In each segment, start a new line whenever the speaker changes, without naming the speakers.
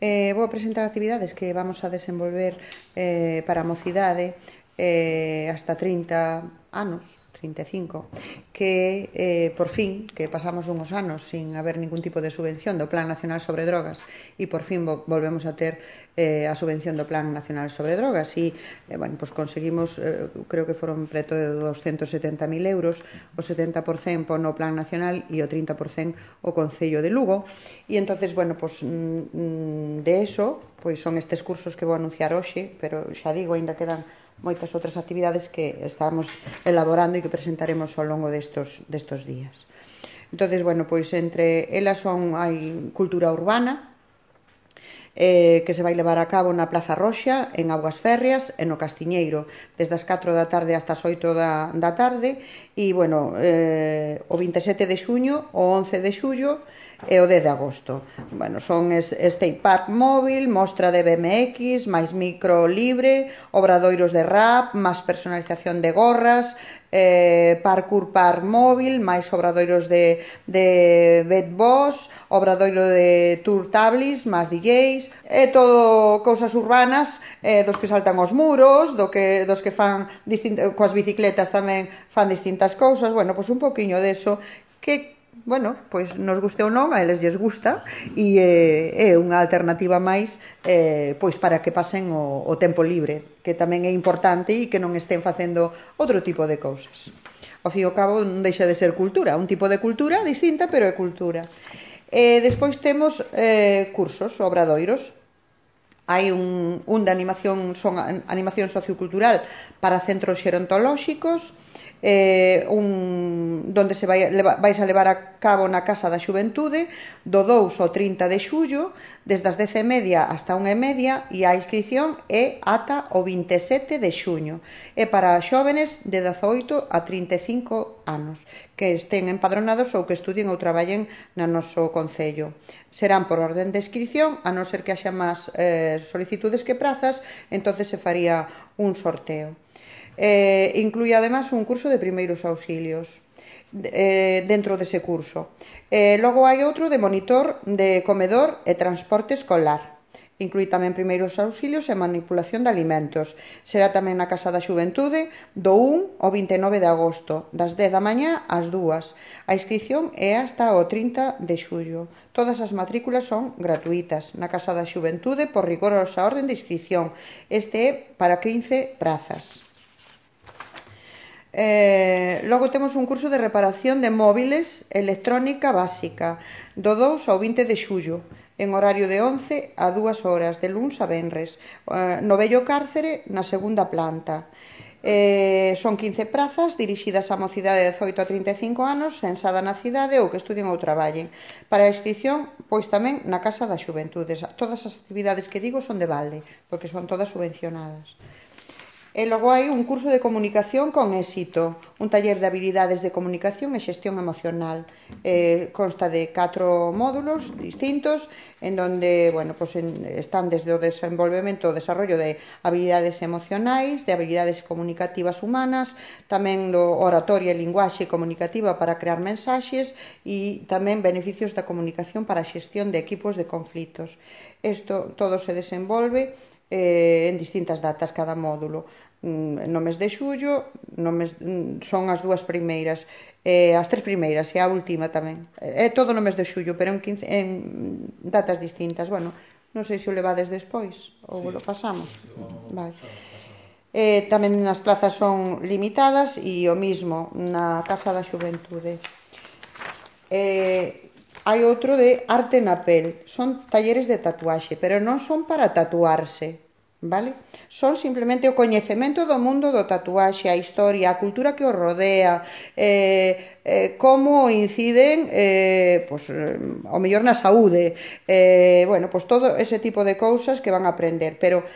Vou presentar actividades que vamos a desenvolver para a mocidade hasta 30 anos, 35, que por fin, que pasamos unhos anos sin haber ningún tipo de subvención do Plan Nacional sobre Drogas e por fin volvemos a ter a subvención do Plan Nacional sobre Drogas e, bueno, pues conseguimos, creo que foron preto de 270.000 euros, o 70% no Plan Nacional e o 30% o Concello de Lugo e entonces, bueno, pues de eso, pois son estes cursos que vou anunciar hoxe, pero xa digo, ainda quedan moitas outras actividades que estamos elaborando e que presentaremos ao longo destos días. Entonces, bueno, pois entre elas hai cultura urbana, que se vai levar a cabo na Plaza Roxa, en Augas Férreas e no Castiñeiro, desde as 4 da tarde hasta as 8 da tarde, e, bueno, o 27 de xuño, o 11 de xullo e o 10 de agosto. Bueno, son skate park móvil, mostra de BMX, máis micro libre, obradoiros de rap, máis personalización de gorras, parkour park móvil, máis obradoiros de bedboss, obradoiro de tour tablis, máis DJs, e todo cousas urbanas, dos que saltan os muros, dos que fan coas bicicletas tamén fan distintas cousas, bueno, pois un poquinho deso que, bueno, pois nos guste ou non, a eles lles gusta e é unha alternativa máis pois para que pasen o tempo libre, que tamén é importante e que non estén facendo outro tipo de cousas. Ao fin e ao cabo non deixa de ser cultura, un tipo de cultura distinta, pero é cultura. Despois temos cursos, obradoiros. Hai un de animación, son animación sociocultural para centros xerontolóxicos, donde se vais a levar a cabo na Casa da Xuventude do 2 ao 30 de xullo, desde as 10:30 hasta 1:30, e a inscripción é ata o 27 de xuño. É para xóvenes de 18 a 35 anos que estén empadronados ou que estudien ou traballen no noso concello. Serán por orden de inscripción, a non ser que haxa máis solicitudes que prazas, entonces se faría un sorteo. Inclúe además un curso de primeiros auxilios dentro dese curso. Logo hai outro de monitor de comedor e transporte escolar. Inclúe tamén primeiros auxilios e manipulación de alimentos. Será tamén na Casa da Xuventude do 1 ao 29 de agosto, das 10 da mañá ás 2. A inscripción é hasta o 30 de xullo. Todas as matrículas son gratuitas na Casa da Xuventude por rigorosa orden de inscripción. Este é para 15 prazas. Logo temos un curso de reparación de móviles electrónica básica do 2 ao 20 de xullo en horario de 11 a 2 horas de luns a venres no vello cárcere na segunda planta. Son 15 prazas dirixidas á mocidade de 18 a 35 anos censada na cidade ou que estudien ou traballen. Para a inscripción, pois tamén na Casa da Xuventude. Todas as actividades que digo son de balde, porque son todas subvencionadas. E logo hai un curso de comunicación con éxito, un taller de habilidades de comunicación e xestión emocional. Consta de 4 módulos distintos, en donde, bueno, pues están desde o desenvolvemento, o desarrollo de habilidades emocionais, de habilidades comunicativas humanas, tamén do oratoria e linguaxe comunicativa para crear mensaxes e tamén beneficios da comunicación para a xestión de equipos de conflitos. Isto todo se desenvolve en distintas datas cada módulo. No mes de xullo son as 2 primeiras, as 3 primeiras e a última tamén. É todo no mes de xullo, pero en datas distintas. Bueno, non sei se o levades despois ou lo pasamos. Vale. Tamén as plazas son limitadas e o mismo na Casa da Xuventude. Hai outro de arte na pel. Son talleres de tatuaxe, pero non son para tatuarse, vale? Son simplemente o coñecemento do mundo do tatuaxe, a historia, a cultura que o rodea, como inciden ao mellor na saúde, bueno, pues todo ese tipo de cousas que van a aprender. Pero,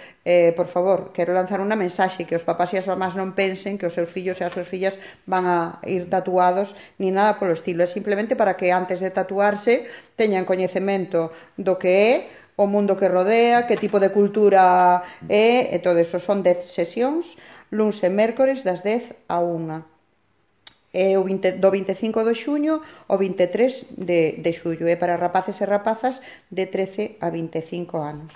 por favor, quero lanzar unha mensaxe, que os papás e as mamás non pensen que os seus fillos e as súas fillas van a ir tatuados ni nada polo estilo. É simplemente para que antes de tatuarse teñan coñecemento do que é o mundo que rodea, que tipo de cultura é, e todo eso. Son 10 sesións, luns e mércores das 10 a 1. do 25 de xuño ao 23 de xullo, para rapaces e rapazas de 13 a 25 anos.